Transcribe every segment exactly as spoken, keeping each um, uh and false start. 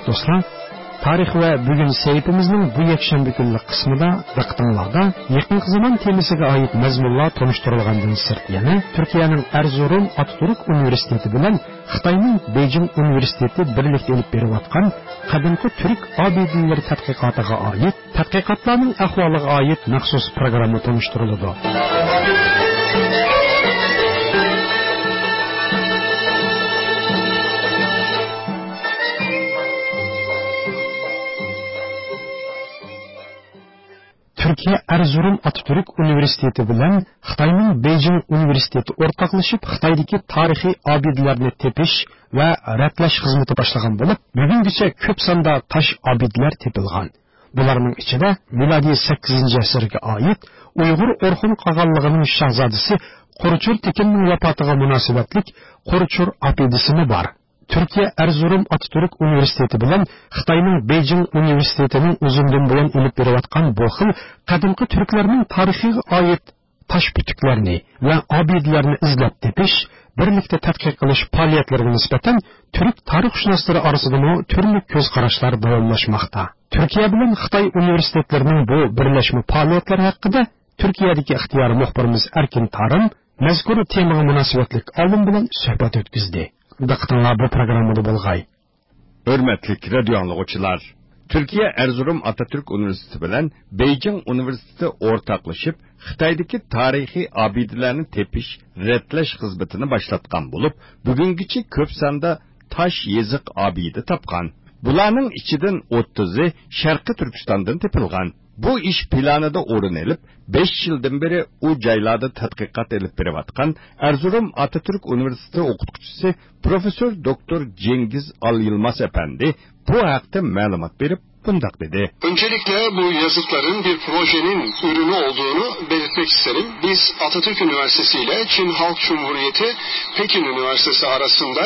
دوستلار، تارىخ ۋە بۈگۈن سەھىپىمىزنىڭ بۇ يەكشەنبە كۈنلۈك قىسمىدا دىققىتىڭلاردا يېقىنقى زامان تېمىسىغا ئائىت مەزمۇنلار تونۇشتۇرۇلغاندىن سىرت، يەنە تۈركىيەنىڭ ئەرزۇرۇم ئاتاتۈرك ئۇنىۋېرسىتېتى بىلەن خىتاينىڭ بېيجىڭ ئۇنىۋېرسىتېتى بىرلىكتە ئېلىپ بېرىۋاتقان قەدىمكى تۈرك ئابىدىلىرى تەتقىقاتىغا ئائىت، تەتقىقاتلارنىڭ ئەھۋالىغا ئائىت مەخسۇس پروگرامما تونۇشتۇرۇلىدۇ. تۈركىيە ئەرزۇرۇم ئاتاتۈرك ئۇنىۋېرسىتېتى بىلەن خىتاينىڭ بېيجىڭ ئۇنىۋېرسىتېتى ئورتاقلىشىپ خىتايدىكى تارىخىي ئابىدىلەرنى تېپىش ۋە رەتلەش خىزمىتى باشلىغان بولۇپ، بۈگۈنگىچە كۆپ ساندا تاش ئابىدىلەر تېپىلغان. بۇلارنىڭ ئىچىدە مىلادىي سەككىزىنچى ئەسىرگە ئائىت ئۇيغۇر ئورخۇن قاغانلىقىنىڭ شاھزادىسى قۇرچۇر تېكىننىڭ ۋاپاتىغا مۇناسىۋەتلىك قۇرچۇر ئابىدىسىمۇ بار. تۈركىيە ئەرزۇرۇم ئاتاتۈرك ئۇنىۋېرسىتېتى بىلەن خىتاينىڭ بېيجىڭ ئۇنىۋېرسىتېتىنىڭ ئۇزۇندىن بۇيان ئېلىپ بېرىۋاتقان بۇ خىل قەدىمكى تۈركلەرنىڭ تارىخىغا ئائىت تاش پۈتۈكلەرنى ۋە ئابىدىلەرنى ئىزدەپ تېپىش، بىرلىكتە تەتقىق قىلىش پائالىيەتلىرىگە نىسبەتەن تۈرك تارىخشۇناسلىرى ئارىسىدىمۇ تۈرلۈك كۆز قاراشلار داۋاملاشماقتا. تۈركىيە بىلەن خىتاي ئۇنىۋېرسىتېتلىرىنىڭ بۇ بىرلەشمە پائالىيەتلىرى ھەققىدە تۈركىيەدىكى ئىختىيارىي مۇخبىرىمىز ئەركىن تارىم مەزكۇر تېمىغا مۇناسىۋەتلىك ئالىم بىلەن سۆھبەت ئۆتكۈزدى. دىققىتىڭلار بۇ پروگراممىدا بولغاي. ھۆرمەتلىك رادىيو ئاڭلىغۇچىلار! تۈركىيە ئەرزۇرۇم ئاتاتۈرك ئۇنىۋېرسىتېتى بىلەن بېيجىڭ ئۇنىۋېرسىتېتى ئورتاقلىشىپ، خىتايدىكى تارىخىي ئابىدىلەرنى تېپىش، رەتلەش خىزمىتىنى باشلاتقان بولۇپ، بۈگۈنگىچە كۆپ ساندا تاش يېزىق ئابىدە تاپقان. بۇلارنىڭ ئىچىدىن ئوتتۇزى شەرقىي تۈركىستاندىن تېپىلغان. بۇ ئىش پىلانىدا ئورۇن ئېلىپ، بەش يىلدىن بېرى ئۇ جايلاردا تەتقىقات ئېلىپ بېرىۋاتقان ئەرزۇرۇم ئاتاتۈرك ئۇنىۋېرسىتېتى ئوقۇتقۇچىسى پروفېسسور دوكتور جېنگىز ئال يىلماز ئەپەندى بۇ ھەقتە مەلۇمات بېرىپ، مۇنداق دېدى. Öncelikle bu yazıtların bir projenin ürünü olduğunu belirtmek isterim. Biz Atatürk Üniversitesi ile Çin Halk Cumhuriyeti Pekin Üniversitesi arasında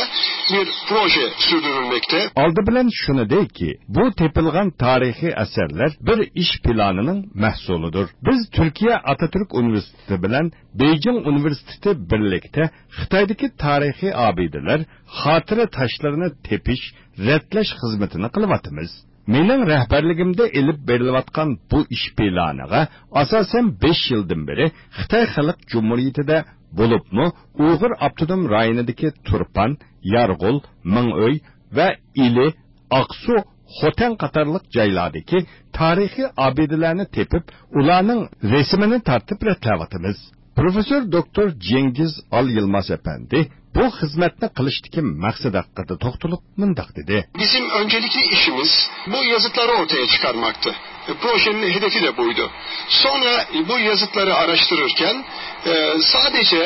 bir proje sürdürülmekte. ئالدى بىلەن شۇنى دەيكى، بۇ تېپىلغان تارىخىي ئەسەرلەر بىر ئىش پىلانىنىڭ مەھسۇلىدۇر. بىز تۈركىيە ئاتاتۈرك ئۇنىۋېرسىتېتى بىلەن بېيجىڭ ئۇنىۋېرسىتېتى بىرلىكتە خىتايدىكى تارىخىي ئابىدىلەر، خاتىرە تاشلىرىنى تېپىش، رەتلەش خىزمىتىنى قىلىۋاتىمىز. مېنىڭ رەھبەرلىكىمدە ئېلىپ بېرىلىۋاتقان بۇ ئىش پىلانىغا ئاساسەن بەش يىلدىن بېرى خىتاي خەلق جۇمھۇرىيىتىدە، بولۇپمۇ ئۇيغۇر ئاپتونوم رايونىدىكى تۇرپان، يارغول، مىڭئۆي ۋە ئىلى، ئاقسۇ، خوتەن قاتارلىق جايلاردىكى تارىخىي ئابىدىلەرنى تېپىپ، ئۇلارنىڭ رەسىمىنى تارتىپ رەتلەۋاتىمىز. پروفېسسور دوكتور جېنگىز ئال يىلماز ئەپەندى بۇ خىزمەتنى قىلىشتىكى مەقسەت ھەققىدە توختىلىپ مۇنداق دېدى. Bizim öncelikli işimiz bu yazıtları ortaya çıkarmaktı. E, projenin hedefi de buydu. Sonra bu yazıtları araştırırken, e, sadece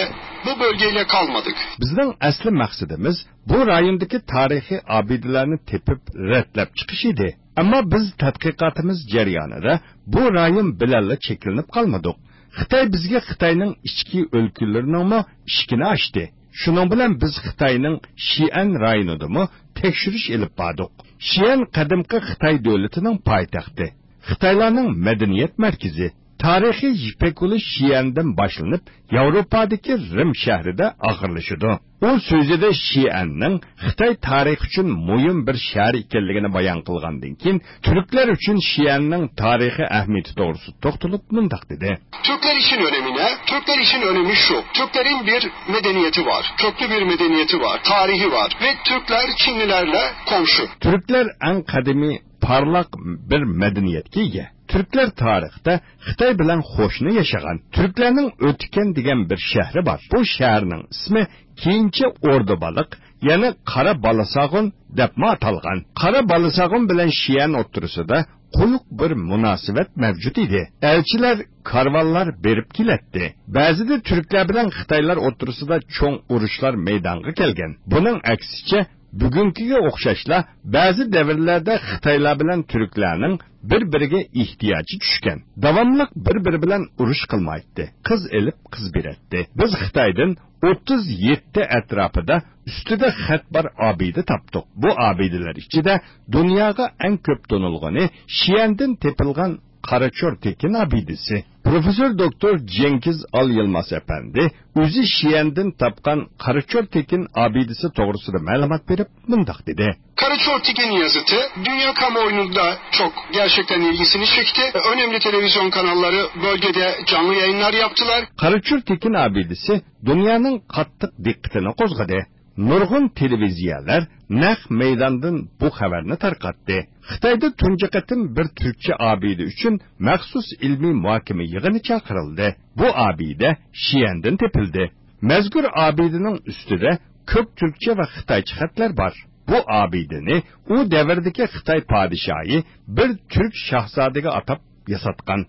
bu bölgeyle kalmadık. بىزنىڭ ئەسلى مەقسىتىمىز بۇ رايوندىكى تارىخىي ئابىدىلەرنى تېپىپ رەتلەپ چىقىش ئىدى. ئەمما بىز تەتقىقاتىمىز جەريانىدا بۇ رايون بىلەنلا چەكلىنىپ قالمىدۇق. خىتاي بىزگە خىتاينىڭ ئىچكى ئۆلكىلىرىنىڭمۇ ئىشىكىنى ئاچتى. شۇنىڭ بىلەن بىز خىتاينىڭ شىئەن رايونىدىمۇ تەكشۈرۈش ئېلىپ باردۇق. شىئەن قەدىمكى خىتاي دۆلىتىنىڭ پايتەختى، خىتايلارنىڭ مەدەنىيەت مەركىزى. تارىخىي يىپەك يولى شىئەندىن باشلىنىپ، ياۋروپادىكى رىم شەھىرىدە ئاخىرلىشىدۇ. ئۇ سۆزىدە شىئەننىڭ خىتاي تارىخى ئۈچۈن مۇھىم بىر شەھەر ئىكەنلىكىنى بايان قىلغاندىن كېيىن، تۈركلەر ئۈچۈن شىئەننىڭ تارىخىي ئەھمىيىتى توغرىسىدا توختىلىپ مۇنداق دېدى. Türkler için önemi ne? Türkler için önemi şu. Türklerin bir medeniyeti var. Köklü bir medeniyeti var. Tarihi var. Ve Türkler Çinlilerle komşu. تۈركلەر ئەڭ قەدىمىي پارلاق بىر مەدەنىيەتكە ئىگە. تۈركلەر تارىختا خىتاي بىلەن قوشنا ياشىغان. تۈركلەرنىڭ ئۆتىكەن دېگەن بىر شەھىرى بار. بۇ شەھەرنىڭ ئىسمى كېيىنچە ئوردۇبالىق، يەنى قارا بالىساغۇن دەپمۇ ئاتالغان. قارا بالىساغۇن بىلەن شىئەن ئوتتۇرىسىدا قويۇق بىر مۇناسىۋەت مەۋجۇت ئىدى. ئەلچىلەر، كارۋانلار بېرىپ كېلەتتى. بەزىدە تۈركلەر بىلەن خىتايلار ئوتتۇرىسىدا چوڭ ئۇرۇشلار مەيدانغا كەلگەن. بۇنىڭ ئەكسىچە، بۈگۈنكىگە ئوخشاشلا، بەزى دەۋرلەردە خىتايلار بىلەن تۈركلەرنىڭ بىر-بىرىگە ئېھتىياجى چۈشكەن. داۋاملىق بىر-بىرى بىلەن ئۇرۇش قىلمايتتى. قىز ئېلىپ، قىز بېرەتتى. بىز خىتايدىن ئوتتۇز يەتتە ئەتراپىدا ئۈستىدە خەت بار ئابىدە تاپتۇق. بۇ ئابىدىلەر ئىچىدە دۇنياغا ئەڭ كۆپ تونۇلغىنى شىئەندىن تېپىلغان قاراچور تېكىن ئابىدىسى. پروفېسسور دوكتور جېڭگىز ئال يىلماز ئەپەندى ئۆزى شىئەندىن تاپقان قاراچور تېكىن ئابىدىسى توغرىسىدا مەلۇمات بېرىپ مۇنداق دېدى. Karaçor Tekin yazıtı dünya kamuoyunda çok gerçekten ilgisini çekti. Önemli televizyon kanalları bölgede canlı yayınlar yaptılar. قاراچور تېكىن ئابىدىسى دۇنيانىڭ قاتتىق دىققىتىنى قوزغىدى. نۇرغۇن تېلېۋىزىيەلەر نەق مەيداندىن بۇ خەۋەرنى تارقاتتى. خىتايدا تۇنجى قېتىم بىر تۈركچە ئابىدە ئۈچۈن مەخسۇس ئىلمىي مۇھاكىمە يىغىنى چاقىرىلدى. بۇ ئابىدە شىئەندىن تېپىلدى. مەزكۇر ئابىدىنىڭ ئۈستىدە كۆك تۈركچە ۋە خىتايچە خەتلەر بار. بۇ ئابىدىنى ئۇ دەۋردىكى خىتاي پادىشاھى بىر تۈرك شاھزادىگە ئاتاپ ياساتقان.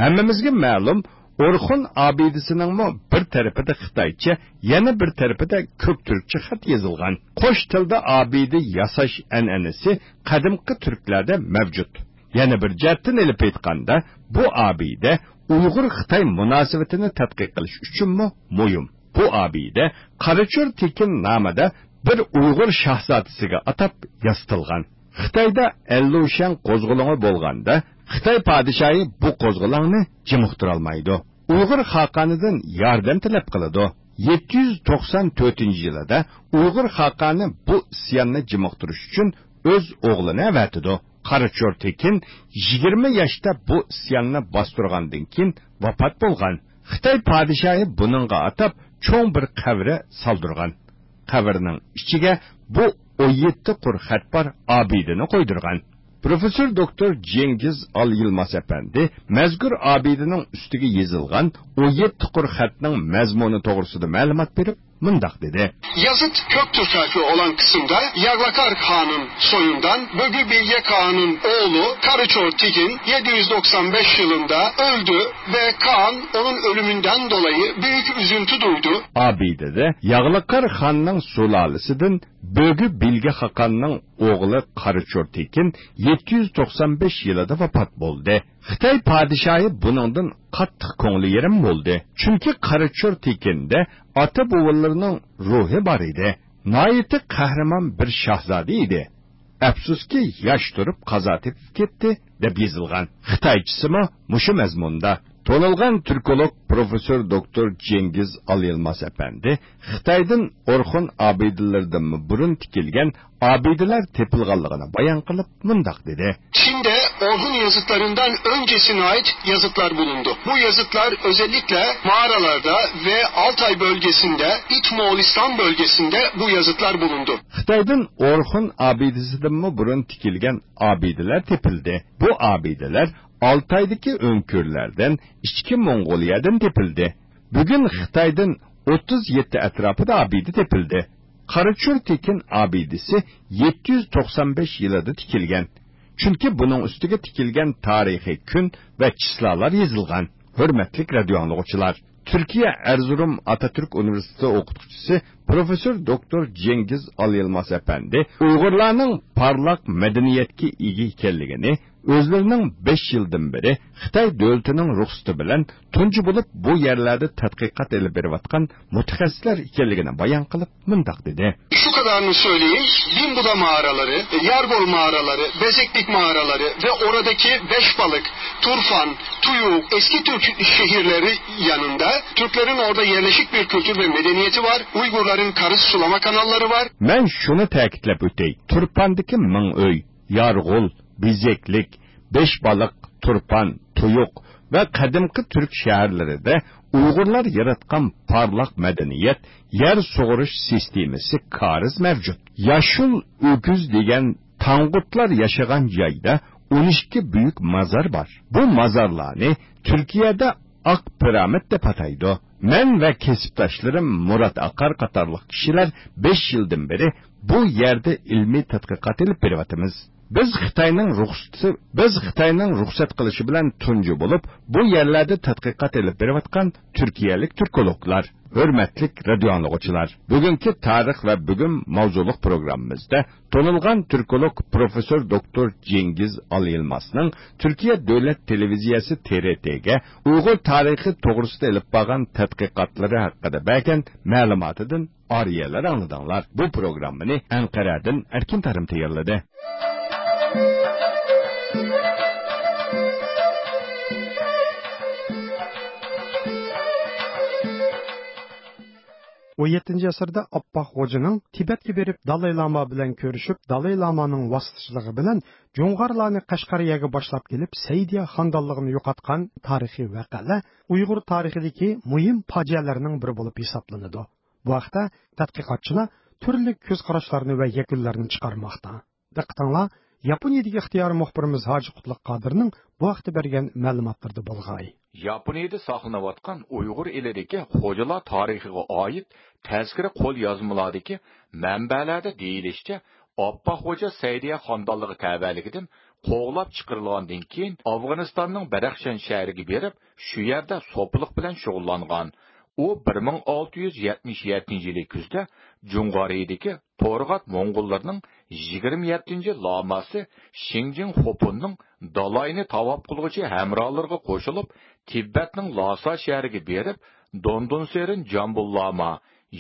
ھەممىمىزگە مەلۇم، ئورخۇن ئابىدىسىنىڭمۇ بىر تەرىپىدە خىتايچە، يەنە بىر تەرىپىدە كۆك تۈركچە خەت يېزىلغان. قوش تىلدا ئابىدە ياساش ئەنئەنىسى قەدىمكى تۈركلەردە مەۋجۇت. يەنە بىر جەھەتتىن ئېلىپ ئېيتقاندا، بۇ ئابىدە ئۇيغۇر-خىتاي مۇناسىۋىتىنى تەتقىق قىلىش ئۈچۈنمۇ مۇھىم. بۇ ئابىدە قاراچور تېكىن نامىدا بىر ئۇيغۇر شاھزادىسىگە ئاتاپ ياسىتىلغان. خىتايدا ئەنلۇشياڭ قوزغىلىڭى بولغاندا، خىتاي پادىشاھى بۇ قوزغىلاڭنى جىمىقتۇرالمايدۇ. ئۇيغۇر خاقانىدىن ياردەم تەلەپ قىلىدۇ. يەتتە يۈز توقسان تۆتىنچى يىلىدا ئۇيغۇر خاقانى بۇ ئىسياننى جىمىقتۇرۇش ئۈچۈن ئۆز ئوغلىنى ئەۋەتىدۇ. قاراچور تېكىن يىگىرمە ياشتا بۇ ئىسياننى باستۇرغاندىن كېيىن ۋاپات بولغان. خىتاي پادىشاھى بۇنىڭغا ئاتاپ چوڭ بىر قەبرە سالدۇرغان. قەبرىنىڭ ئىچىگە بۇ ئون يەتتە قۇر خەت بار ئابىدىنى قويدۇرغان. پروفېسسور دوكتور جېڭگىز ئال يىلماز ئەپەندى مەزكۇر ئابىدىنىڭ ئۈستىگە يېزىلغان ئون يەتتە قۇر خەتنىڭ مەزمۇنى توغرىسىدا مەلۇمات بېرىپ، مۇنداق دېدى. Yazıt Köktürk harfi olan kısımda Yaglakar Kağan'ın soyundan Bögü Bilge Kağan'ın oğlu Karaçor Tekin yedi yüz doksan beş yılında öldü ve Kağan onun ölümünden dolayı büyük üzüntü duydu. ئابىدىدە ياغلىقار خاننىڭ سۇلالىسىدىن بۆگۈ بىلگە خاقاننىڭ ئوغلى قاراچور تېكىن يەتتە يۈز توقسان بەش يىلىدا ۋاپات بولدى. خىتاي پادىشاھى بۇنىڭدىن قاتتىق كۆڭلى يېرىم بولدى. چۈنكى قاراچور تېكىندە ئاتا-بوۋىلىرىنىڭ روھى بار ئىدى. ناھايىتى قەھرىمان بىر شاھزادە ئىدى. ئەپسۇسكى، ياش تۇرۇپ قازا تېپىپ كەتتى، دەپ يېزىلغان. خىتايچىسىمۇ مۇشۇ مەزمۇندا. تونۇلغان تۈركولوگ پروفېسسور دوكتور جېڭگىز ئاليىلماز ئەپەندى خىتايدىن ئورخۇن ئابىدىلىرىدىنمۇ بۇرۇن تىكىلگەن ئابىدىلەر تېپىلغانلىقىنى بايان قىلىپ مۇنداق دېدى. Çin'de Orhun yazıtlarından öncesine ait yazıtlar bulundu. Bu yazıtlar özellikle mağaralarda ve Altay bölgesinde, İç Moğolistan bölgesinde bu yazıtlar bulundu. خىتايدىن ئورخۇن ئابىدىسىدىنمۇ بۇرۇن تىكىلگەن ئابىدىلەر تېپىلدى. بۇ ئابىدىلەر ئالتايدىكى ئۆڭكۈرلەردىن، ئىچكى موڭغۇلىيەدىن تېپىلدى. بۈگۈن خىتايدىن ئوتتۇز يەتتە ئەتراپىدا ئابىدە تېپىلدى. قاراچور تېكىن ئابىدىسى يەتتە يۈز توقسان بەش يىلىدا تىكىلگەن. چۈنكى بۇنىڭ ئۈستىگە تىكىلگەن تارىخىي كۈن ۋە چىسلالار يېزىلغان. ھۆرمەتلىك رادىيو ئاڭلىغۇچىلار، تۈركىيە ئەرزۇرۇم ئاتاتۈرك ئۇنىۋېرسىتېتى ئوقۇتقۇچىسى پروفېسسور دوكتور جېڭگىز ئاليىلماز ئەپەندى ئۇيغۇرلارنىڭ پارلاق مەدەنىيەتكە ئىگە ئىكەنلىكىنى، ئۆزلىرىنىڭ بەش يىلدىن بېرى خىتاي دۆلىتىنىڭ رۇخسىتى بىلەن تۇنجى بولۇپ بۇ يەرلەردە تەتقىقات ئېلىپ بېرىۋاتقان مۇتەخەسسىسلەر ئىكەنلىكىنى بايان قىلىپ مۇنداق دېدى. Şu kadarını söyleyeyim, Bin Buda mağaraları, Yargol mağaraları, Bezeklik mağaraları ve oradaki Beşbalık, Turfan, Tuyuk, eski Türk şehirleri yanında Türklerin orada yerleşik bir kültür ve medeniyeti var. Uygurların karız sulama kanalları var. مەن شۇنى تەكىتلەپ ئۆتەي، تۇرپاندىكى مىڭ ئۆي، يارغول، بېزەكلىك، بەشبالىق، تۇرپان، تۇيۇق ۋە قەدىمكى تۈرك شەھەرلىرىدە ئۇيغۇرلار ياراتقان پارلاق مەدەنىيەت، يەر سۇغۇرۇش سىستېمىسى، كارىز مەۋجۇت. ياشۇل ئۆكۈز دېگەن تاڭغۇتلار ياشىغان جايدا ئون ئىككى بۈيۈك مازار بار. بۇ مازارلارنى تۈركىيەدە ئاق پىرامىد دەپ ئاتايدۇ. مەن ۋە كەسىپداشلىرىم مۇرات ئاقار قاتارلىق كىشىلەر بەش يىلدىن بېرى بۇ يەردە ئىلمىي تەتقىقات ئېلىپ بېرىۋاتىمىز. بىز خىتاينىڭ رۇخسىتى، بىز خىتاينىڭ رۇخسەت قىلىشى بىلەن تۇنجى بولۇپ بۇ يەرلەردە تەتقىقات ئېلىپ بېرىۋاتقان تۈركىيەلىك تۈركولوگلار. ھۆرمەتلىك رادىيو ئاڭلىغۇچىلار، بۈگۈنكى تارىخ ۋە بۈگۈن ماۋزۇلۇق پروگراممىمىزدا تونۇلغان تۈركولوگ پروفېسسور دوكتور جېڭگىز ئالىيىلمازنىڭ تۈركىيە دۆلەت تېلېۋىزىيەسى تې رې تېگە ئۇيغۇر تارىخى توغرىسىدا ئېلىپ بارغان تەتقىقاتلىرى ھەققىدە بەرگەن مەلۇماتىدىن ئارىيەلەر ئاڭلىدىڭلار. بۇ پروگراممىنى ئەنقەرەدىن ئەركىن تارىم تەييارلىدى. ئون يەتتىنچى ئەسىردە ئاپپاق خوجىنىڭ تىبەتكە بېرىپ، دالاي لاما بىلەن كۆرۈشۈپ، دالاي لامانىڭ ۋاسىتىچىلىقى بىلەن جۇڭغارلارنى قەشقەرىيەگە باشلاپ كېلىپ، سەئىدىيە خانىدانلىقىنى يوقاتقان تارىخىي ۋەقەلەر ئۇيغۇر تارىخىدىكى مۇھىم پاجىئەلەرنىڭ بىرى بولۇپ ھېسابلىنىدۇ. بۇ ھەقتە تەتقىقاتچىلار تۈرلۈك كۆز قاراشلارنى ۋە يەكۈنلەرنى چىقارماقتا. دىققىتىڭلار ياپونىيەدىكى ئىختىيارىي مۇخبىرىمىز ھاجى قۇتلۇق قادىرنىڭ بۇ ھەقتە بەرگەن مەلۇماتلىرىدا بولغاي. ياپونىيەدە ساقلىنىۋاتقان ئۇيغۇر ئېلىدىكى خوجىلار تارىخىغا ئائىت تەزكىرە قول يازمىلاردىكى مەنبەلەردە دېيىلىشىچە، ئاپپاق خوجا سەئىدىيە خانىدانلىقى تەۋەلىكىدىن قوغلاپ چىقىرىلغاندىن كېيىن، ئافغانىستاننىڭ بەدەخشان شەھىرىگە بېرىپ، شۇ يەردە سوپىلىق بىلەن شۇغۇللانغان. ئۇ بىر مىڭ ئالتە يۈز يەتمىش يەتتىنچى يىلى كۈزدە جۇڭغارىيىدىكى تورغات موڭغۇللىرىنىڭ يىگىرمە يەتتىنچى لاماسى شىڭجىڭ خوپۇننىڭ دالاينى تاۋاپ قىلغۇچى ھەمراھلىرىغا قوشۇلۇپ، تىبەتنىڭ لاسا شەھىرىگە بېرىپ، دوندونسېرىن جامبۇل لاما،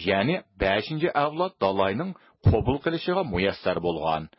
يەنى بەشىنچى ئەۋلاد دالاينىڭ قوبۇل قىلىشىغا مۇيەسسەر بولغان.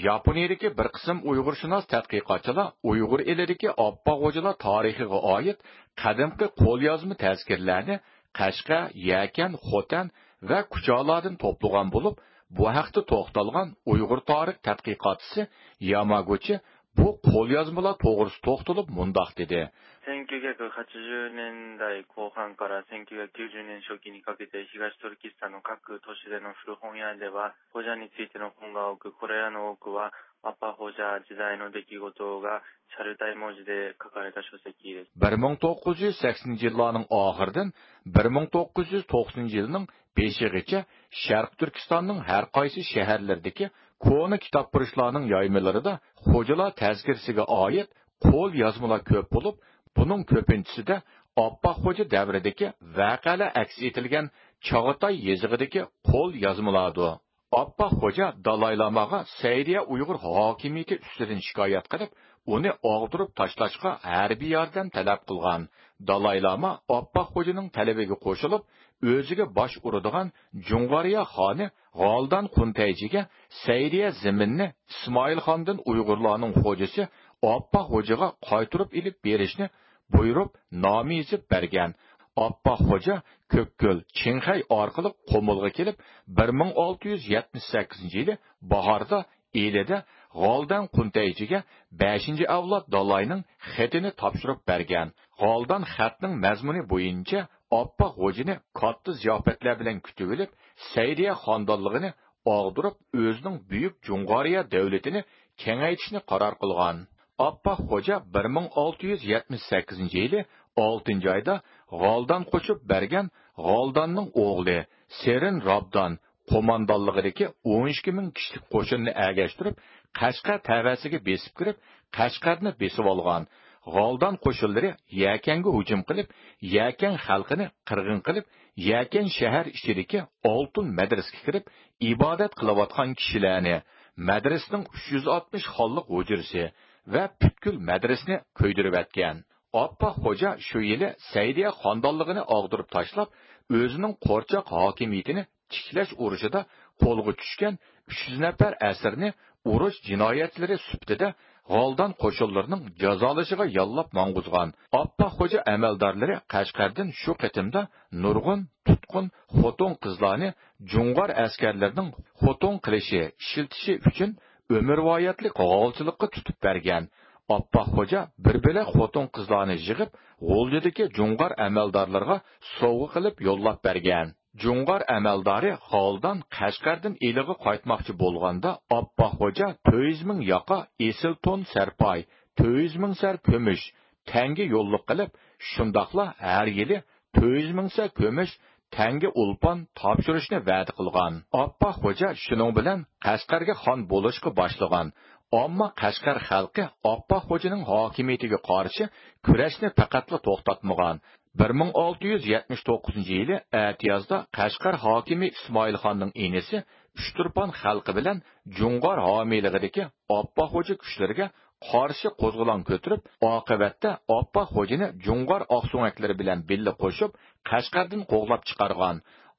ياپونىيىدىكى بىر قىسىم ئۇيغۇرشۇناس تەتقىقاتچىلار ئۇيغۇر ئېلىدىكى ئاپپاق خوجىلار تارىخىغا ئائىت قەدىمكى قوليازما تەزكىرىلەرنى قەشقەر، يەكەن، خوتەن ۋە كۇچالاردىن توپلىغان بولۇپ، بۇ ھەقتە توختالغان ئۇيغۇر تارىخ تەتقىقاتچىسى ياماگۇچى بۇ قوليازمىلار توغرىسىدا توختىلىپ مۇنداق دېدى. せんきゅうひゃくはちじゅうねんだいこう半からせんきゅうひゃくきゅうじゅうねん初期にかけて東トルキスタンの各都市での古本屋では、ホジャについての本が多く、これらの多くはアッパーホジャ時代の出来事がチャルタイ文字で書かれた書籍です。 بىر مىڭ توققۇز يۈز سەكسىنىنچى يىللارنىڭ ئاخىرىدىن بىر مىڭ توققۇز يۈز توقسىنىنچى يىلنىڭ بېشىغىچە شەرقىي تۈركىستاننىڭ ھەر قايسى شەھەرلىرىدىكى كونا كىتابپۇرۇشلارنىڭ يايمىلىرىدا خوجىلار تەزكىرىسىگە ئائىت قول يازمىلار كۆپ بولۇپ، بۇنىڭ كۆپىنچىسىدە ئاپپاق خوجا دەۋرىدىكى ۋەقەلەر ئەكس ئېتىلگەن چاغاتاي يېزىقىدىكى قول يازمىلاردۇر. ئاپپاق خوجا دالاي لاماغا سەئىدىيە ئۇيغۇر ھاكىمىيىتى ئۈستىدىن شىكايەت قىلىپ، ئۇنى ئاغدۇرۇپ تاشلاشقا ھەربىي ياردەم تەلەپ قىلغان. دالاي لاما ئاپپاق خوجىنىڭ تەلىپىگە قوشۇلۇپ، ئۆزىگە باش ئۇرىدىغان جۇڭغارىيە خانى غالدان قۇنتەيجىگە سەئىدىيە زېمىنىنى ئىسمائىل خاندىن ئۇيغۇرلارنىڭ خوجىسى ئاپپاق خوجىغا قايتۇرۇپ ئېلىپ بېرىشنى بۇيرۇپ، نامە يېزىپ بەرگەن. ئاپپاق خوجا كۆككۆل، چىڭخەي ئارقىلىق قۇمۇلغا كېلىپ، بىر مىڭ ئالتە يۈز يەتمىش سەككىزىنچى يىلى باھاردا ئىلىدە غالدان قۇنتەيجىگە بەشىنچى ئەۋلاد دالاينىڭ خېتىنى تاپشۇرۇپ بەرگەن. غالدان خەتنىڭ مەزمۇنى بويىچە ئاپپاق خوجىنى كاتتا زىياپەتلەر بىلەن كۈتۈۋېلىپ، سەئىدىيە خانىدانلىقىنى ئاغدۇرۇپ، ئۆزىنىڭ بۈيۈك جۇڭغارىيە دەۋلىتىنى كېڭەيتىشنى قارار قىلغان. ئاپپاق خوجا بىر مىڭ ئالتە يۈز يەتمىش سەككىزىنچى يىلى ئالتىنچى ئايدا غالدان قوشۇپ بەرگەن غالداننىڭ ئوغلى سېرىن رابدان قوماندانلىقىدىكى ئون ئىككى مىڭ كىشىلىك قوشۇننى ئەگەشتۈرۈپ، قەشقەر تەۋەسىگە بېسىپ كىرىپ، قەشقەرنى بېسىۋالغان. غالدان قوشۇنلىرى يەكەنگە ھۇجۇم قىلىپ، يەكەن خەلقىنى قىرغىن قىلىپ، يەكەن شەھەر ئىچىدىكى ئالتۇن مەدرىسىگە كىرىپ، ئىبادەت قىلىۋاتقان كىشىلەرنى، مەدرىسىنىڭ ئۈچ يۈز ئاتمىش خانلىق ھۇجرىسى ۋە پۈتكۈل مەدرىسىنى كۆيدۈرۈۋەتكەن. ئاپپاق خوجا شۇ يىلى سەئىدىيە خانىدانلىقىنى ئاغدۇرۇپ تاشلاپ، ئۆزىنىڭ قورچاق ھاكىمىيىتىنى تىكلەش ئۇرۇشىدا قولغا چۈشكەن ئۈچ يۈز نەپەر ئەسىرنى ئۇرۇش جىنايەتچىلىرى سۈپىتىدە غالدان قوشۇنلىرىنىڭ جازالىشىغا ياللاپ ماڭغۇزغان. ئاپپاق خوجا ئەمەلدارلىرى قەشقەردىن شۇ قېتىمدا نۇرغۇن تۇتقۇن خوتۇن-قىزلارنى جۇڭغار ئەسكەرلىرىنىڭ خوتۇن قىلىشى، ئىشلىتىشى ئۈچۈن ئۆمۈرۋايەتلىك غالچىلىققا تۇتۇپ بەرگەن. ئاپپاق خوجا بىر بۆلەك خوتۇن-قىزلارنى يىغىپ، غۇلجىدىكى جۇڭغار ئەمەلدارلىرىغا سوۋغا قىلىپ يوللاپ بەرگەن. جۇڭغار ئەمەلدارى غالدان قەشقەردىن ئىلىغا قايتماقچى بولغاندا، ئاپپاق خوجا تۆت يۈز مىڭ ياقا ئېسىل تون سەرپاي، تۆت يۈز مىڭ سەر كۈمۈش، تەڭگە يوللۇق قىلىپ، شۇنداقلا ھەر يىلى تۆت يۈز مىڭ سەر كۈمۈش، تەڭگە ئولپان تاپشۇرۇشنى ۋەدە قىلغان. ئاپپاق خوجا شۇنىڭ بىلەن قەشقەرگە خان بولۇشقا باشلىغان. ئەمما قەشقەر خەلقى ئاپپاق خوجىنىڭ ھاكىمىيىتىگە قارشى كۈرەشنى پەقەتلا توختاتمىغان. بىر مىڭ ئالتە يۈز يەتمىش توققۇزىنچى يىلى ئەتىيازدا قەشقەر ھاكىمى ئىسمائىل خاننىڭ ئىنىسى ئۇچتۇرپان خەلقى بىلەن جۇڭغار ھامىيلىقىدىكى ئاپپاق خوجا كۈچلىرىگە قارشى قوزغىلاڭ كۆتۈرۈپ، ئاقىۋەتتە ئاپپاق خوجىنى جۇڭغار ئاقسۆڭەكلىرى بىلەن بىللە قوشۇپ، قەشقەردىن قوغلاپ چىقارغان.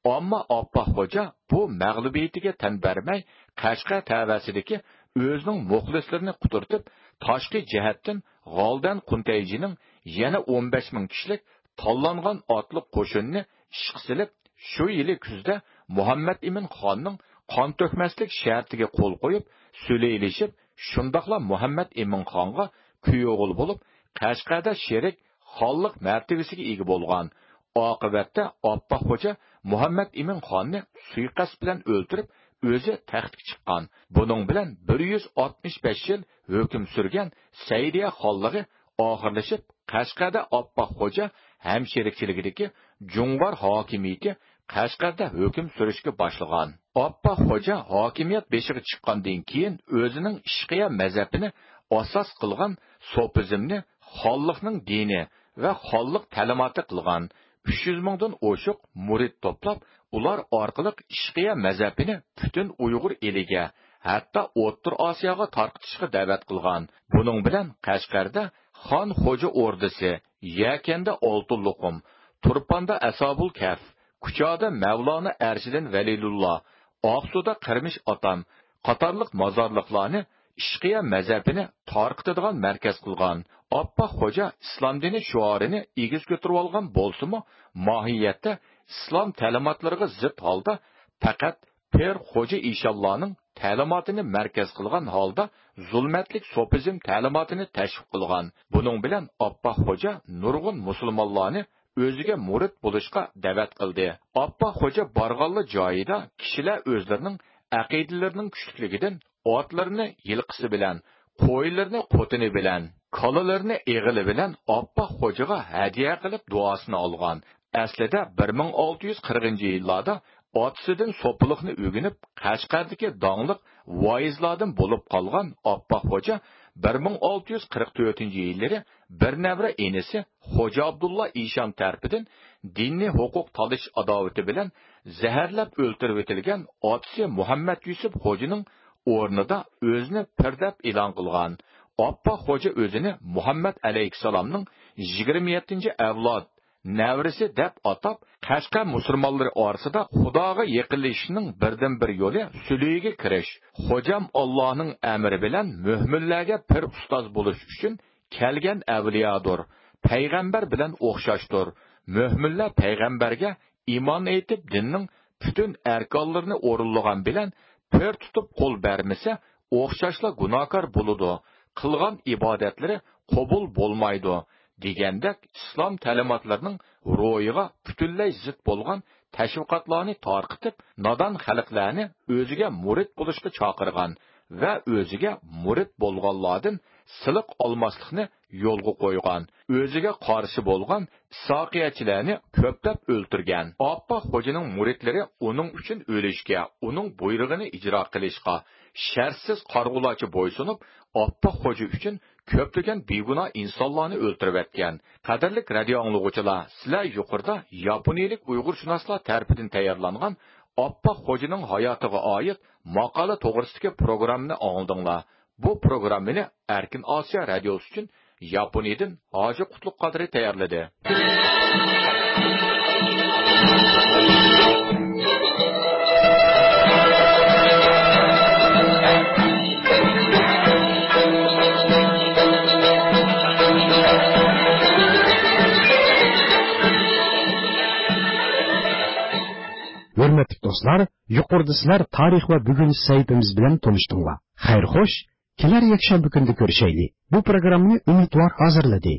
ئەمما ئاپپاق خوجا بۇ مەغلۇبىيىتىگە تەن بەرمەي، قەشقەر تەۋەسىدىكى ئۆزىنىڭ مۇخلىسلىرىنى قۇترىتىپ، تاشقى جەھەتتىن غالدان قۇنتەيجىنىڭ يەنە ئون بەش مىڭ كىشىلىك تاللانغان ئاتلىق قوشۇننى ئىشقا سېلىپ، شۇ يىلى كۈزدە مۇھەممەد ئىمىن خاننىڭ قان تۆكمەسلىك شەرتىگە قول قويۇپ، سۈلھىلىشىپ، شۇنداقلا مۇھەممەد ئىمىن خانغا كۈيئوغۇل بولۇپ، قەشقەردە شېرىك خانلىق مەرتىۋىسىگە ئىگە بولغان. ئاقىۋەتتە ئاپپاق خوجا مۇھەممەد ئىمىن خاننى سۇيىقەست بىلەن ئۆلتۈرۈپ، ئۆزى تەختكە چىققان. بۇنىڭ بىلەن بىر يۈز ئاتمىش بەش يىل ھۆكۈم سۈرگەن سەئىدىيە خانلىقى ئاخىرلىشىپ، قەشقەردە ئاپپاق خوجا ھەمشېرىكچىلىكىدىكى جۇڭغار ھاكىمىيىتى قەشقەردە ھۆكۈم سۈرۈشكە باشلىغان. ئاپپاق خوجا ھاكىمىيەت بېشىغا چىققاندىن كېيىن، ئۆزىنىڭ ئىشقىيە مەزھەپىنى ئاساس قىلغان سوپىزمنى خانلىقنىڭ دىنى ۋە خانلىق تەلىماتى قىلغان. ئۈچ يۈز مىڭدىن ئوشۇق مۇرىت توپلاپ، ئۇلار ئارقىلىق ئىشقىيە مەزھەپىنى پۈتۈن ئۇيغۇر ئېلىگە، ھەتتا ئوتتۇرا ئاسىياغا تارقىتىشقا دەۋەت قىلغان. بۇنىڭ بىلەن قەشقەردە خان خوجا ئوردىسى، يەكەندە ئالتۇن لوقۇم، تۇرپاندا ئەسھابۇل كەھف، كۇچادا مەۋلانا ئەرشىدىن ۋەلىلۇللا، ئاقسۇدا قىرمىش ئاتام قاتارلىق مازارلىقلارنى ئىشقىيە مەزھەپىنى تارقىتىدىغان مەركەز قىلغان. ئاپپاق خوجا ئىسلام دىنى شوئارىنى ئېگىز كۆتۈرۈۋالغان بولسىمۇ، ماھىيەتتە ئىسلام تەلىماتلىرىغا زىت ھالدا پەقەت پىر خوجا ئىشانلارنىڭ تەلىماتىنى مەركەز قىلغان ھالدا زۇلمەتلىك سوپىزم تەلىماتىنى تەشۋىق قىلغان. بۇنىڭ بىلەن ئاپپاق خوجا نۇرغۇن مۇسۇلمانلارنى ئۆزىگە مۇرىت بولۇشقا دەۋەت قىلدى. ئاپپاق خوجا بارغانلا جايىدا كىشىلەر ئۆزلىرىنىڭ ئەقىدىلىرىنىڭ كۈچلۈكلۈكىدىن ئاتلىرىنى يىلقىسى بىلەن، قويلىرىنى قوتىنى بىلەن، كالىلىرىنى ئېغىلى بىلەن ئاپپاق خوجىغا ھەدىيە قىلىپ دۇئاسىنى ئالغان. ئەسلىدە بىر مىڭ ئالتە يۈز قىرىقىنچى يىللاردا ئاتىسىدىن سوپىلىقنى ئۆگىنىپ، قەشقەردىكى داڭلىق ۋائىزلاردىن بولۇپ قالغان ئاپپاق خوجا بىر مىڭ ئالتە يۈز قىرىق تۆتىنچى يىللىرى بىر نەۋرە ئىنىسى خوجا ئابدۇللا ئىشان تەرىپىدىن دىنىي ھوقۇق تالىشىش ئاداۋىتى بىلەن زەھەرلەپ ئۆلتۈرۈۋېتىلگەن ئاتىسى مۇھەممەد يۈسۈپ خوجىنىڭ ئورنىدا ئۆزىنى پىر دەپ ئېلان قىلغان. ئاپپاق خوجا ئۆزىنى مۇھەممەد ئەلەيھىسسالامنىڭ يىگىرمە يەتتىنچى ئەۋلاد نەۋرىسى دەپ ئاتاپ، قەشقەر مۇسۇلمانلىرى ئارىسىدا خۇداغا يېقىنلىشىشنىڭ بىردىنبىر يولى سۈلھىگە كىرىش. خوجام ئاللانىڭ ئەمرى بىلەن مۆمىنلەرگە پىر ئۇستاز بولۇش ئۈچۈن كەلگەن ئەۋلىيادۇر، پەيغەمبەر بىلەن ئوخشاشتۇر. مۆمىنلەر پەيغەمبەرگە ئىمان ئېيتىپ، دىننىڭ پۈتۈن ئەركانلىرىنى ئورۇنلىغان بىلەن پىر تۇتۇپ قول بەرمىسە، ئوخشاشلا گۇناھكار بولىدۇ، قىلغان ئىبادەتلىرى قوبۇل بولمايدۇ، دېگەندەك ئىسلام تەلىماتلىرىنىڭ روھىغا پۈتۈنلەي زىت بولغان تەشۋىقاتلارنى تارقىتىپ، نادان خەلقلەرنى ئۆزىگە مۇرىت بولۇشقا چاقىرغان ۋە ئۆزىگە مۇرىت بولغانلاردىن سىلىق ئالماسلىقنى يولغا قويغان، ئۆزىگە قارشى بولغان ئىسھاقىيەتچىلەرنى كۆپلەپ ئۆلتۈرگەن. ئاپپاق خوجىنىڭ مۇرىتلىرى ئۇنىڭ ئۈچۈن ئۆلۈشكە، ئۇنىڭ بۇيرۇقىنى ئىجرا قىلىشقا شەرتسىز قارىغۇلارچە بويسۇنۇپ، ئاپپاق خوجا ئۈچۈن كۆپلىگەن بىگۇناھ ئىنسانلارنى ئۆلتۈرۈۋەتكەن. قەدىرلىك رادىئو ئاڭلىغۇچىلار، سىلەر يۇقىرىدا ياپونىيىلىك ئۇيغۇرشۇناسلار تەرىپىدىن تەييارلانغان ئاپپاق خوجىنىڭ ھاياتىغا ئائىت ماقالە توغرىسىدىكى پروگراممىنى ئاڭلىدىڭلار. بۇ پروگراممىنى ئەركىن ئاسىيا رادىيوسى ئۈچۈن ياپونىيەدىن ھاجى قۇتلۇق قادىرى تەييارلىدى. ھۆرمەتلىك دوستلار، يۇقىرىدا سىلەر تارىخ ۋە بۈگۈن سەھىپىمىز بىلەن تونۇشتۇڭلار. خەير خوش، كېلەر يەكشەنبە كۈنىدە كۆرۈشەيلى. بۇ پروگراممىنى ئۈمىدۋار ھازىرلىدى.